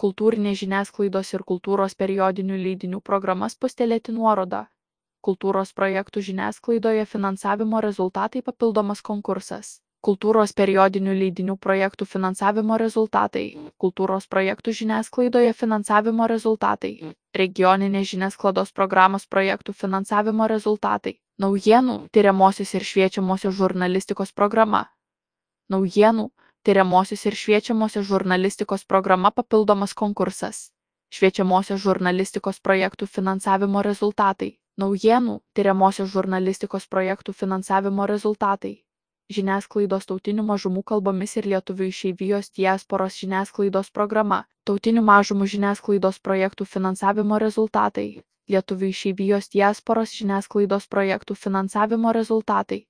kultūrinės žiniasklaidos ir kultūros periodinių leidinių programas Spustelėti nuorodą. Kultūros projektų žiniasklaidoje finansavimo rezultatai papildomas konkursas. Kultūros periodinių leidinių projektų finansavimo rezultatai. Kultūros projektų žiniasklaidoje finansavimo rezultatai. Regioninės žiniasklaidos programos projektų finansavimo rezultatai. Naujienų, tyriamosios ir šviečiamosios žurnalistikos programa. Naujienų, tyriamosios ir šviečiamosios žurnalistikos programa papildomas konkursas. Šviečiamosios žurnalistikos projektų finansavimo rezultatai. Naujienų, tyriamosios žurnalistikos projektų finansavimo rezultatai. Žiniasklaidos tautinių mažumų kalbomis ir lietuvių išeivijos diasporos žiniasklaidos programa. Tautinių mažumų žiniasklaidos projektų finansavimo rezultatai. Lietuvių išeivijos diasporos žiniasklaidos projektų finansavimo rezultatai.